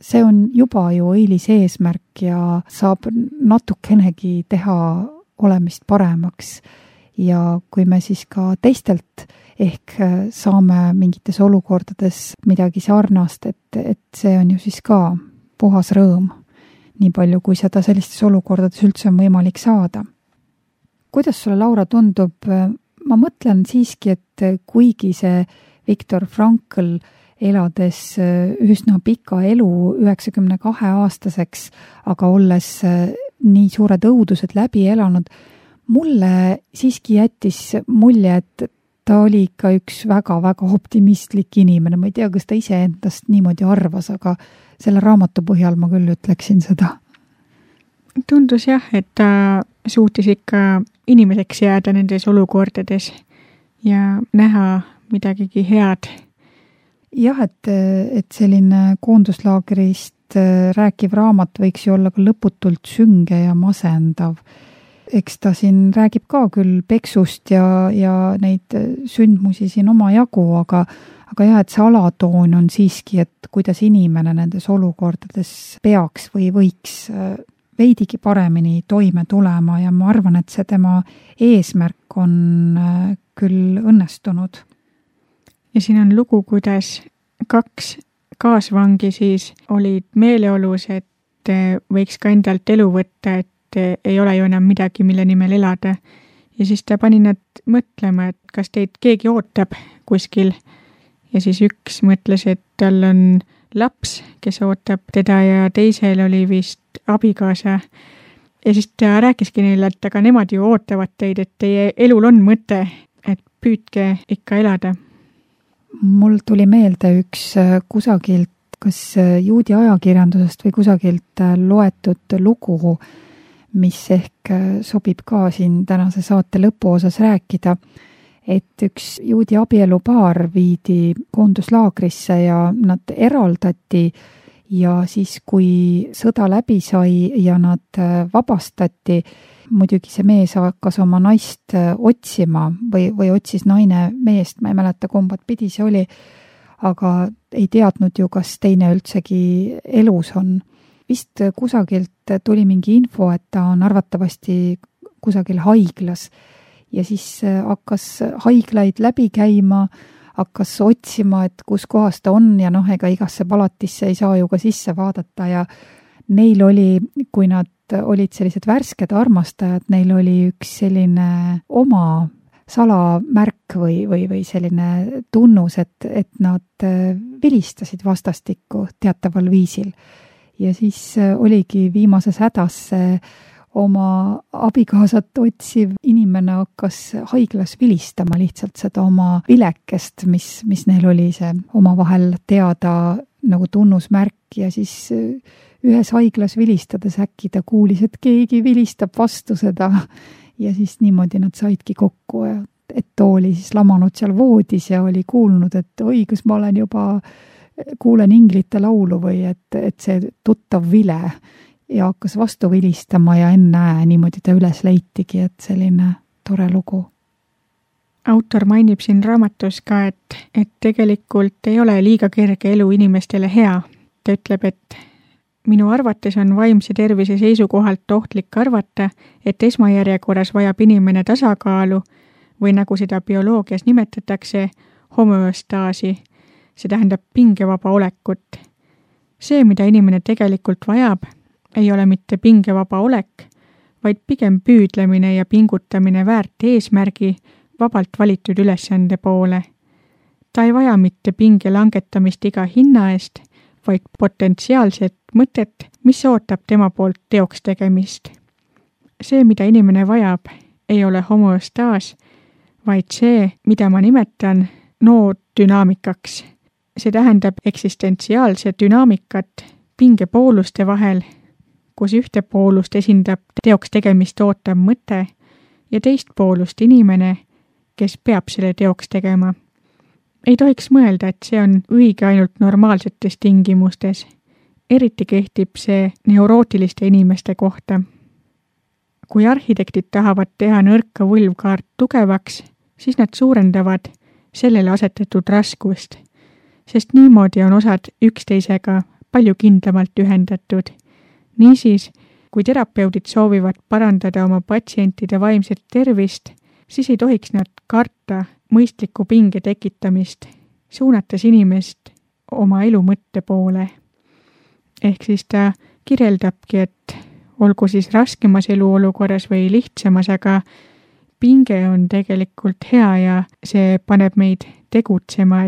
Speaker 2: See on juba ju õilis eesmärk ja saab natukenegi teha olemist paremaks. Ja kui me siis ka teistelt ehk saame mingites olukordades midagi sarnast, et see on ju siis ka puhas rõõm, nii palju kui seda sellistes olukordades üldse on võimalik saada. Kuidas sulle, Laura, tundub? Ma mõtlen siiski, et kuigi see Viktor Frankl elades üsna pika elu 92-aastaseks, aga olles nii suured õudused läbi elanud, mulle siiski jättis mulje, et ta oli ikka üks väga-väga optimistlik inimene. Ma ei tea, kas ta ise endast niimoodi arvas, aga selle raamatu põhjal ma küll ütleksin seda.
Speaker 3: Tundus jah, et ta suutis ikka inimeseks jääda nendes olukordades ja näha midagigi head.
Speaker 2: Jah, et selline koonduslaagrist rääkiv raamat võiks ju olla ka lõputult sünge ja masendav. Eks ta siin räägib ka küll peksust ja neid sündmusi siin oma jagu, aga jah, et see alatoon on siiski, et kuidas inimene nendes olukordades peaks või võiks veidigi paremini toime tulema ja ma arvan, et see tema eesmärk on küll õnnestunud.
Speaker 3: Ja siin on lugu, kuidas 2 kaasvangi siis olid meeleolus, et võiks ka endalt elu võtta, et ei ole ju enam midagi, mille nimel elada. Ja siis ta pani nad mõtlema, et kas teid keegi ootab kuskil. Ja siis üks mõtles, et tal on laps, kes ootab teda ja teisel oli vist abikaasa. Ja siis ta rääkiski neile, et aga nemad ju ootavad teid, et teie elul on mõte, et püüdke ikka elada.
Speaker 2: Mul tuli meelde üks kusagilt, kas juudi ajakirjandusest või kusagilt loetud lugu, mis ehk sobib ka siin tänase saate lõpuosas rääkida, et üks juudi abielupaar viidi koonduslaagrisse ja nad eraldati ja siis, kui sõda läbi sai ja nad vabastati, muidugi see mees hakkas oma naist otsima või otsis naine meest, ma ei mäleta, kumbat pidi see oli, aga ei teadnud ju, kas teine üldsegi elus on. Vist kusagilt tuli mingi info, et ta on arvatavasti kusagil haiglas ja siis hakkas haiglaid läbi käima, hakkas otsima, et kus kohas ta on ja ega igasse palatisse ei saa ju ka sisse vaadata ja neil oli, kui nad olid sellised värsked armastajad, neil oli üks selline oma salamärk või selline tunnus, et nad vilistasid vastastikku teataval viisil. Ja siis oligi viimases hädas oma abikaasat otsiv inimene hakkas haiglas vilistama lihtsalt seda oma vilekest, mis neil oli see omavahel teada nagu tunnusmärk ja siis ühes haiglas vilistades äkki ta kuulis, et keegi vilistab vastu seda ja siis niimoodi nad saidki kokku, et ta oli siis lamanud seal voodis ja oli kuulnud, et oi, kas ma olen juba kuulen inglite laulu või et see tuttav vile ja hakkas vastu vilistama ja ennäe niimoodi ta üles leitigi, et selline tore lugu.
Speaker 3: Autor mainib siin raamatus ka, et tegelikult ei ole liiga kerge elu inimestele hea. Ta ütleb, et minu arvates on vaimse tervise seisukohalt ohtlik arvata, et esmajärjekorras vajab inimene tasakaalu või nagu seda bioloogias nimetatakse, homeostaasi. See tähendab pingevaba olekut. See, mida inimene tegelikult vajab, ei ole mitte pingevaba olek, vaid pigem püüdlemine ja pingutamine väärt eesmärgi vabalt valitud ülesande poole. Ta ei vaja mitte pinge langetamist iga hinna eest, vaid potentsiaalset mõtet, mis ootab tema poolt teoks tegemist. See, mida inimene vajab, ei ole homöostaas, vaid see, mida ma nimetan noodünaamikaks. See tähendab eksistentsiaalse dünaamikat pingepooluste vahel, kus ühte poolust esindab teoks tegemist ootav mõte ja teist poolust inimene, kes peab selle teoks tegema. Ei tohiks mõelda, et see on õige ainult normaalsetes tingimustes. Eriti kehtib see neurootiliste inimeste kohta. Kui arhitektid tahavad teha nõrka võlvkaart tugevaks, siis nad suurendavad sellele asetatud raskust, sest niimoodi on osad üksteisega palju kindlamalt ühendatud. Niisiis, kui terapeudid soovivad parandada oma patsientide vaimset tervist, siis ei tohiks nad karta mõistliku pinge tekitamist, suunates inimest oma elu mõtte poole. Ehk siis ta kirjeldabki, et olgu siis raskemas eluolukorras või lihtsamas, aga pinge on tegelikult hea ja see paneb meid tegutsema,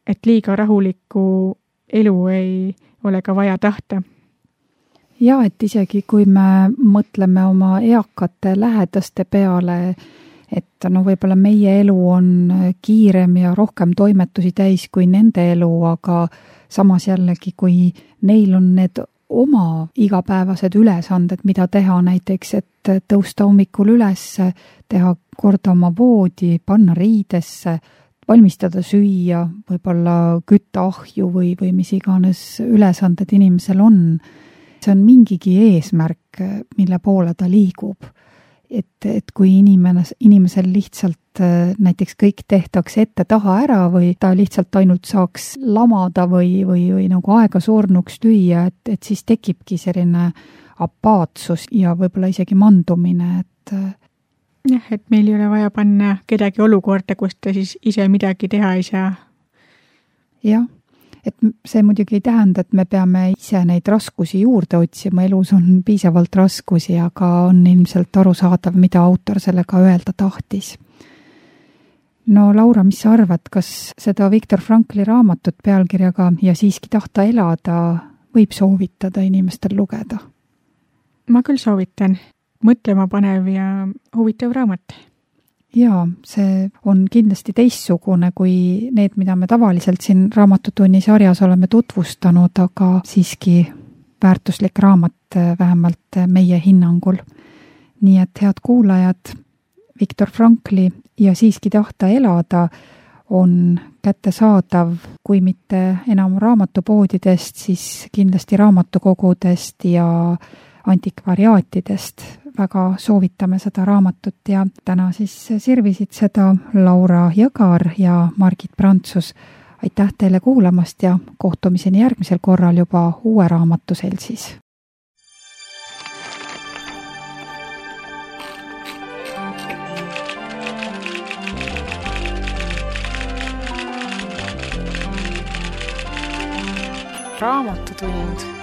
Speaker 3: et liiga rahulikku elu ei ole ka vaja tahta.
Speaker 2: Ja, et isegi kui me mõtleme oma eakate lähedaste peale, et võib-olla meie elu on kiirem ja rohkem toimetusi täis kui nende elu, aga samas jällegi, kui neil on need oma igapäevased ülesanded, mida teha näiteks, et tõusta hommikul üles, teha korda oma voodi, panna riidesse, valmistada süüa, võib-olla kütta ahju või mis iganes ülesanded inimesel on. See on mingigi eesmärk, mille poole ta liigub. Et kui inimesel lihtsalt näiteks kõik tehtaks ette taha ära või ta lihtsalt ainult saaks lamada või nagu aega surnuks lüüa, et siis tekibki selline apaatsus ja võib-olla isegi mandumine, et
Speaker 3: jah, et meil ei ole vaja panna kedagi olukorda, kus ta siis ise midagi teha ei saa.
Speaker 2: Jah, et see muidugi ei tähenda, et me peame ise neid raskusi juurde otsima, elus on piisavalt raskusi, aga on ilmselt arusaadav, mida autor sellega öelda tahtis. No Laura, mis sa arvad, kas seda Viktor Frankli raamatut pealkirjaga Ja siiski tahta elada võib soovitada inimestel lugeda?
Speaker 3: Ma küll soovitan. Mõtlema panev ja huvitav raamat.
Speaker 2: Jaa, see on kindlasti teistsugune kui need, mida me tavaliselt siin Raamatutunni sarjas oleme tutvustanud, aga siiski väärtuslik raamat vähemalt meie hinnangul. Nii et head kuulajad, Viktor Frankli Ja siiski tahta elada on kättesaadav, kui mitte enam raamatupoodidest, siis kindlasti raamatukogudest ja antikvariaatidest. Väga soovitame seda raamatut ja täna siis sirvisid seda Laura Jõgar ja Margit Prantsus. Aitäh teile kuulamast ja kohtumiseni järgmisel korral juba uue raamatu seltsis.
Speaker 4: Raamatutund.